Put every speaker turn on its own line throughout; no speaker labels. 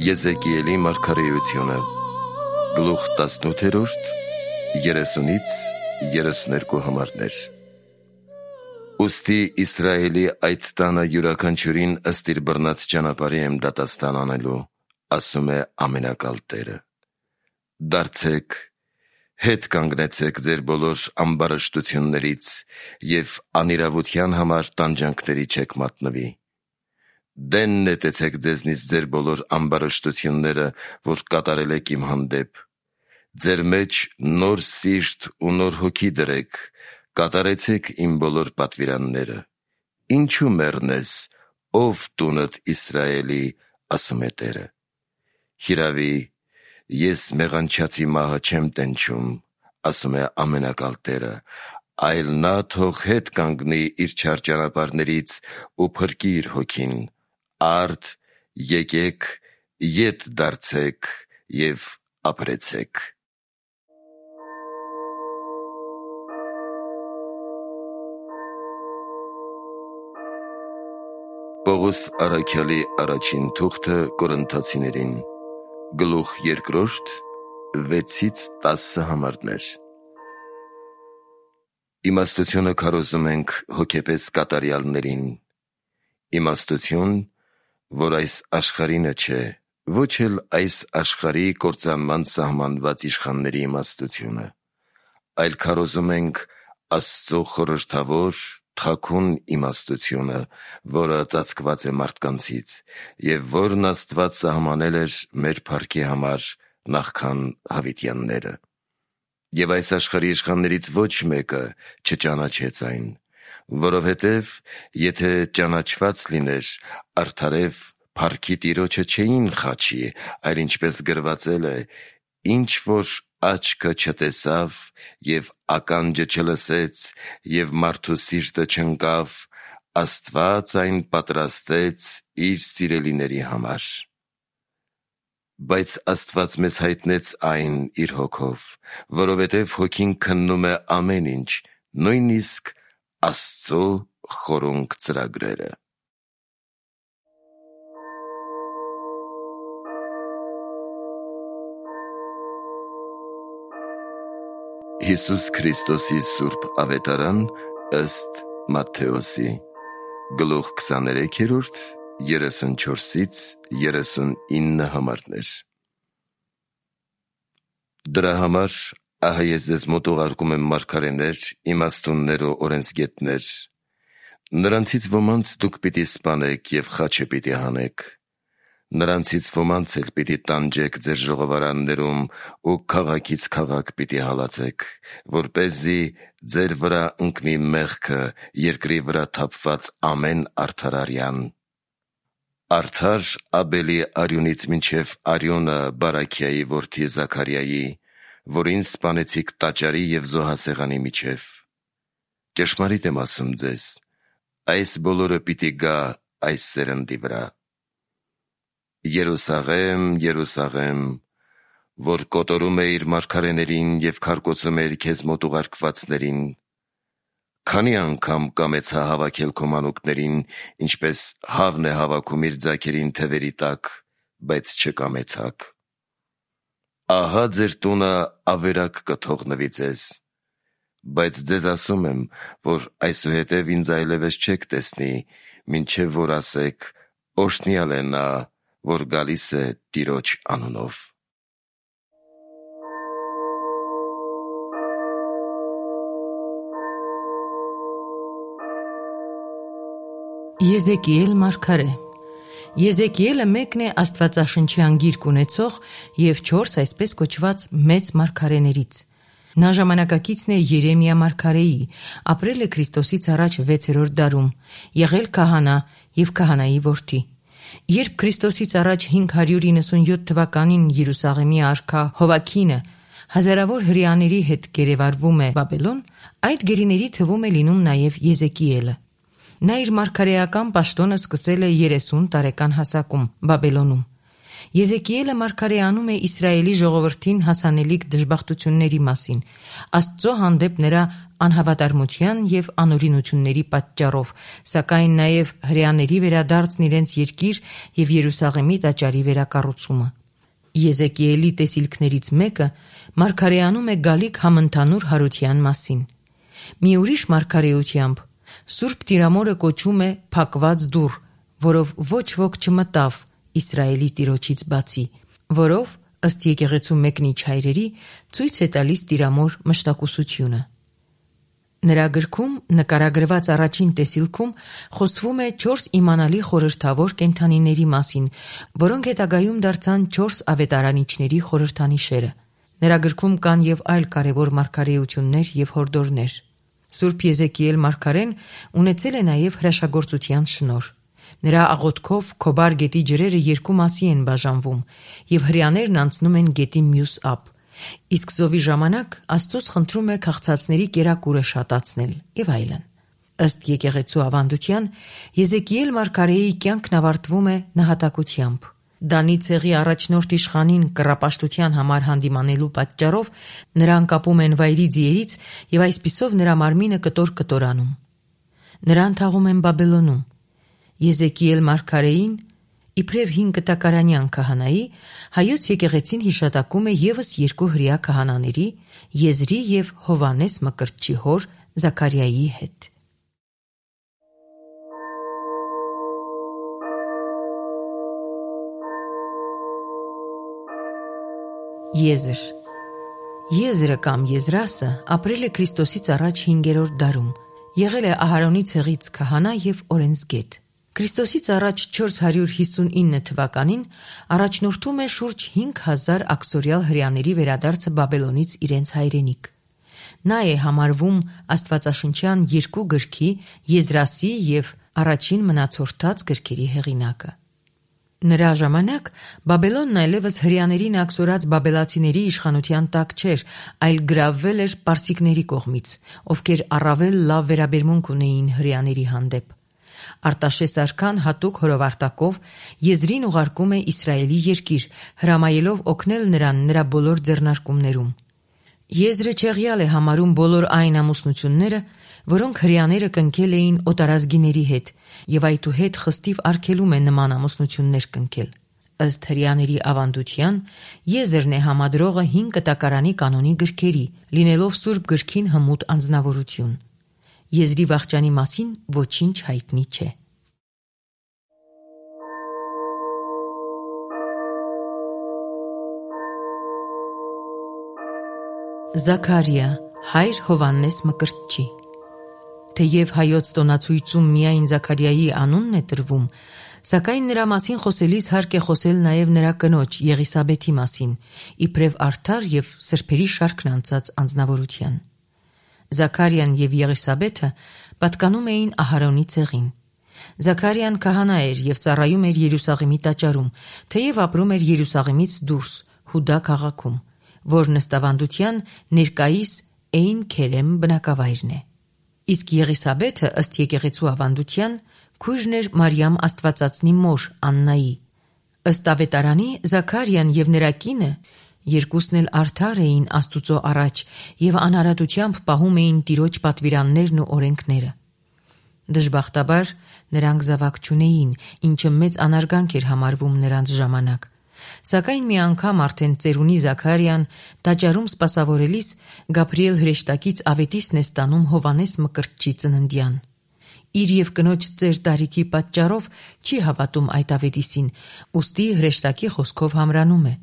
Եզեկիելի մարգարեությունը Գլուխ 18, 30-ից 32 համարներ։ Ուստի Իսրայելի այդ տանը յուրաքանչյուրին ըստ իր բռնած ճանապարհի եմ դատաստան անելու, ասում է ամենակալ Տերը։ Դարձեք, հետ կանգնեցեք ձեր բոլոր ամբարշտություններից և անիրավության համար տանջանքների չեք մատնվի։ Դեն նետեցեք ձեզնից ձեր բոլոր ամբարշտությունները, որ կատարել եք իմ հանդեպ։ Ձեր մեջ նոր սիրտ ու նոր հոգի դրեք, կատարեցեք իմ բոլոր պատվիրանները։ Ինչու մեռնես, ով տունդ Իսրայելի, ասում է Տերը։ Հիրավի, ես մեղանչացի մահը չեմ տենչում, ասում է ամենակալ Տերը, այլ նա թող հետ կանգնի իր չար ճանապարհներից ու փրկի իր հոգին։ Արդ, եկեք, ետ դարձեք և ապրեցեք։ Պողոս առաքյալի առաջին թուղթը Կորինթացիներին, գլուխ 2, 6-ից 10 համարներ։ Իմաստությունը քարոզում ենք հոգեպես կատարյալներին։ Իմաստություն, որ այս աշխարհինը չէ, ոչ էլ այս աշխարհի կործանման սահմանված իշխանների իմաստությունը, այլ քարոզում ենք Աստծո խորհրդավոր, թաքուն իմաստությունը, որը ծածկված է մարդկանցից, և որն Աստված սահմանել էր մեր փառքի համար նախքան հավիտյանները։ Եվ այս աշխարհի իշխաններից ոչ մեկը չճանաչեց այն, որովհետև եթե ճանաչված լիներ, արդարև փառքի Տիրոջը չէին խաչի, այլ ինչպես գրվածել է. «Ինչ որ աչքը չտեսավ և ականջը չլսեց և մարդու սիրտը չընկավ, Աստված այն պատրաստեց իր սիրելիների համար»։ Բայց Աստված մեզ հայտնեց այն իր Հոգով, որովհետև Հոգին քննում է ամեն ինչ, նույնիսկ Աստծո խորունկ ծրագրերը։ Հիսուս Քրիստոսի Սուրբ Ավետարան ըստ Մատթեոսի, գլուխ 23, 34-ից 39 համարներ։ Դրա համար ահա ես ձեզ մոտ ուղարկում եմ մարգարեներ, իմաստուններ ու օրենսգետներ։ Նրանցից ոմանց դուք պիտի սպանեք և խաչը պիտի հանեք։ Նրանցից ոմանց էլ պիտի տանջեք ձեր ժողովարաններում ու քաղաքից քաղաք պիտի հալածեք, որպեսզի ձեր վրա ընկնի մեղքը երկրի վրա թափված ամեն արդարարյան։ Արդար Աբելի արյունից մինչև արյունը Բարաքիայի որդի Զաքարիայի, որին սպանեցիք տաճարի և զոհասեղանի միջև։ Ճշմարիտ եմ ասում ձեզ, այս բոլորը պիտի գա այս սերնդի վրա։ Երուսաղեմ, Երուսաղեմ, որ կոտորում է իր մարգարեներին և քարկոծում է քեզ մոտ ուղարկվածներին, քանի անգամ կամեցա հավաքել քո մանուկներին, ինչպես հավն է հավաքում իր ձագերին թևերի տակ, բայց չկամեցաք։ Ահա ձեր տունը ավերակ կթողնվի ձեզ, բայց ձեզ ասում եմ, որ այսուհետև ինձ այլևս չեք տեսնի, մինչև որ ասեք. «Օրհնյալ է նա, որ գալիս է Տիրոջ անունով»։
Եզեկիել մարգարե։ Եզեկիելը մեկն է աստվածաշնչյան գիրք ունեցող և 4 այսպես կոչված մեծ մարգարեներից։ Նա ժամանակակիցն է Երեմիա մարգարեի, ապրել է Քրիստոսից առաջ 6-րդ դարում, եղել քահանա և քահանայի որդի։ Երբ Քրիստոսից առաջ 597 թվականին Երուսաղեմի արքա Հովաքինը հազարավոր հրեաների հետ գերեվարվում է Բաբելոն, այդ գերիների թվում է լինում նաև Եզեկիելը։ Նա իր մարգարեական պաշտոնը սկսել է 30 տարեկան հասակում Բաբելոնում։ Եզեկիելը մարգարեանում է Իսրայելի ժողովրդին հասանելիք դժբախտությունների մասին, Աստծո հանդեպ նրա անհավատարմության և անօրինությունների պատճառով, սակայն նաև հրեաների վերադարձն իրենց երկիր և Երուսաղեմի տաճարի վերակառուցումը։ Եզեկիելի տեսիլքներից մեկը մարգարեանում է գալիք համընդհանուր հարության մասին։ Մի ուրիշ մարգարեությամբ Սուրբ Տիրամորը կոչում է փակված դուռ, որով ոչ ոք չմտավ Իսրայելի Տիրոջից բացի, որով, ըստ եկեղեցու մեկնիչ հայրերի, ցույց է տալիս Տիրամոր մշտակուսությունը։ Նրա գրքում նկարագրված առաջին տեսիլքում խոսվում է 4 իմանալի խորհրդավոր կենդանիների մասին, որոնք հետագայում դարձան 4 ավետարանիչների խորհրդանիշերը։ Նրա գրքում կան և այլ կարևոր մարգարեություններ և հորդորներ։ Սուրբ Եզեկիել մարգարեն ունեցել է նաև հրաշագործության շնորհ։ Նրա աղոթքով Քոբար գետի ջրերը 2 մասի են բաժանվում, և հրեաներն անցնում են գետի մյուս ափ, իսկ զովի ժամանակ Աստծուց խնդրում է քաղցածների կերակուրը շատացնել և այլն։ Ըստ եկեղեցու ավանդության, Եզեկիել մարգարեի կյանքն ավարտվում է նահատակությամբ։ Դանի ցեղի առաջնորդ իշխանին կռապաշտության համար հանդիմանելու պատճառով նրան կապում են վայրի ձիերից և այսպիսով նրա մարմինը կտոր-կտորանում։ Նրան թաղում են Բաբելոնում։ Եզեկիել մարգարեին, իբրև 5 կտակարանյան քահանայի, հայոց եկեղեցին հիշատակում է ևս 2 հրեա քահանաների՝ Եզրի և Հովանես Մկրտչի հոր Զաքարիայի հետ։ Եզր Եզրը կամ Եզրասը ապրել է Քրիստոսից առաջ 5-րդ դարում, եղել է Ահարոնի ցեղից քահանա և օրենսգետ։ Քրիստոսից առաջ 459 թվականին առաջնորդում է շուրջ 5000 աքսորյալ հրեաների վերադարձը Բաբելոնից իրենց հայրենիք։ Նա է համարվում Աստվածաշնչյան 2 գրքի՝ Եզրասի և առաջին մնացորդած գրքերի հեղինակը։ Նրա ժամանակ Բաբելոնն այլևս հրեաներին աքսորած բաբելացիների իշխանության տակ չէր, այլ գրավվել էր պարսիկների կողմից, ովքեր առավել լավ վերաբերմունք ունեին հրեաների հանդեպ։ Արտաշես արքան հատուկ հրովարտակով Եզրին ուղարկում է Իսրայելի երկիր, հրամայելով օգնել նրան նրա բոլոր ձեռնարկումներում։ Եզրը չեղյալ է համարում բոլոր այն ամուսնությունները, որոնք հրեաները կնքել էին օտարազգիների հետ, և այդուհետ խստիվ արգելում է նման ամուսնություններ կնքել։ Ըստ հրեաների ավանդության, Եզրն է համադրողը 5 կտակարանի կանոնի գրքերի, լինելով Սուրբ գրքին հմուտ անձնավորություն։ Եզրի վախճանի մասին ոչինչ հայտնի չէ։ Զաքարիա, հայր Հովանես Մկրտչի։ Թեև հայոց տոնացույցում միայն Զաքարիայի անունն է տրվում, սակայն նրա մասին խոսելիս հարկ է խոսել նաև նրա կնոջ Եղիսաբեթի մասին, իբրև արդար և սրբերի շարքն անցած անձնավորության։ Զաքարիան և Եղիսաբեթը պատկանում էին Ահարոնի ցեղին։ Զաքարիան քահանա էր և ծառայում էր Երուսաղեմի տաճարում, թեև ապրում էր Երուսաղեմից դուրս, Հուդա քաղաքում, որն ըստ ավանդության ներկայիս Էյն Քերեմ բնակավայրն է։ Իսկ Եղիսաբեթը, ըստ եկեղեցու ավանդության, քույրն էր Մարիամ Աստվածածնի մոր Աննայի։ Ըստ ավետարանի Զաքարիան և նրա կինը երկուսն էլ արդար էին Աստուծո առաջ և անարատությամբ պահում էին Տիրոջ պատվիրաններն ու օրենքները։ Դժբախտաբար նրանք զավակ չունեին, ինչը մեծ անարգանք էր համարվում նրանց ժամանակ։ Սակայն մի անգամ արդեն ծերունի Զաքարիան տաճարում սպասավորելիս Գաբրիել հրեշտակից ավետիսն է ստանում Հովանես Մկրտչի ծննդյան։ Իր և կնոջ ծեր տարիքի պատճառով չի հավատում այդ ավետիսին, ուստի հրեշտակի խոսքով համրանում է։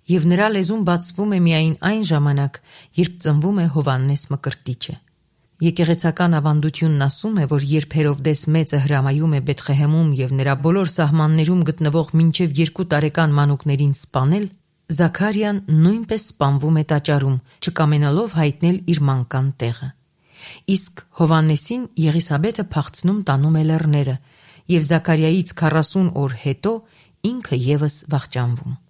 Եվ նրա լեզուն բացվում է միայն այն ժամանակ, երբ ծնվում է Հովանես Մկրտիչը։ Եկեղեցական ավանդությունն ասում է, որ երբ Հերովդես մեծը հրամայում է Բեթղեհեմում և նրա բոլոր սահմաններում գտնվող մինչև 2 տարեկան մանուկներին սպանել, Զաքարիան նույնպես սպանվում է տաճարում, չկամենալով հայտնել իր մանկան տեղը։ Իսկ Հովանեսին Եղիսաբեթը փախցնում տանում է լեռները, և Զաքարիայից 40 օր հետո ինքը ևս վախճանվում։